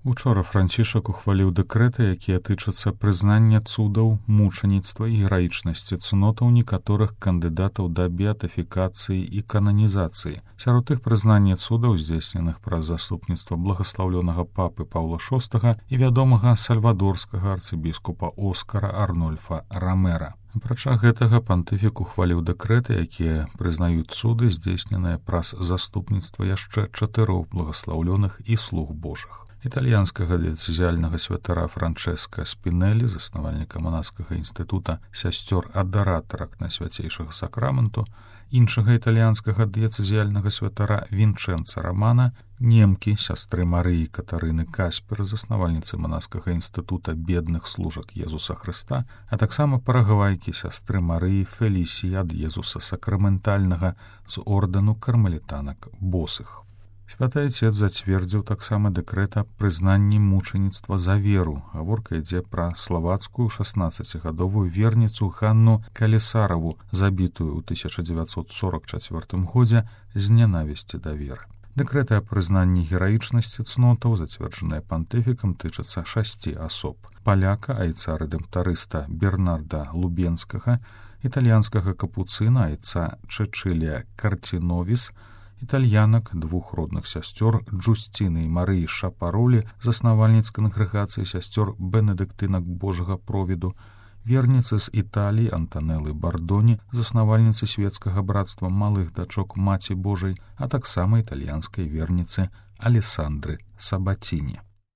Учора Францішак ухваліў дэкрэты, якія тычацца прызнання цудаў, мучаніцтва і гераічнасці цнотаў некаторых кандыдатаў да беатыфікацыі і кананізацыі. Сярод іх прызнання цудаў, здзейсненых праз заступніцтва благаслаўлёнага папы Паўла VI і вядомага сальвадорскага арцыбіскупа Оскара Арнольфа Рамера. Апрача гэтага пантыфік ухваліў дэкрэты, якія прызнаюць цуды, здзейсненыя праз заступніцтва яшчэ 4 благаслаўлёных і слуг Божых. Італьянскага дыяцэзіяльнага святара Франчэска Спінелі, заснавальніка манаскага інстытута сясцёр адаратарак Найсвяцейшага сакраменту, іншага італьянскага дыяцэзіяльнага святара Вінчэнца Рамана, немкі сястры Марыі Катарыны Каспер, заснавальніцы манаскага інстытута бедных служак Езуса Хрыста, а таксама парагвайкі сястры Марыі Фелісіі ад Езуса Сакраментальнага з ордэну кармелітанак босых. Святы Айцец зацвердзіў таксама дэкрэт аб прызнанні мучаніцтва за веру. Гаворка ідзе пра славацкую 16гадовую верніцу Ганну Калісараву, забітую ў 1944 годзе з нянавісці да веры. Дэкрэты аб прызнанні гераічнасці цнотаў, зацверджаныя пантыфікам, тычацца 6 асоб: паляка, айца рэдэмптарыста Бернарда Лубенскага, італьянскага капуцына, айца Чэчылія Картиновіс, італьянак, 2 родных сясцёр Джусціны і Марыі Шапаролі, заснавальніц кангрэгацыі сясцёр бенедыктынак Божага провіду, верніцы з Італіі Антанеллы Бардоні, заснавальніцы свецкага брацтва малых дачок Маці Божай, а таксама італьянскай верніцы Алесандры Сабаціні.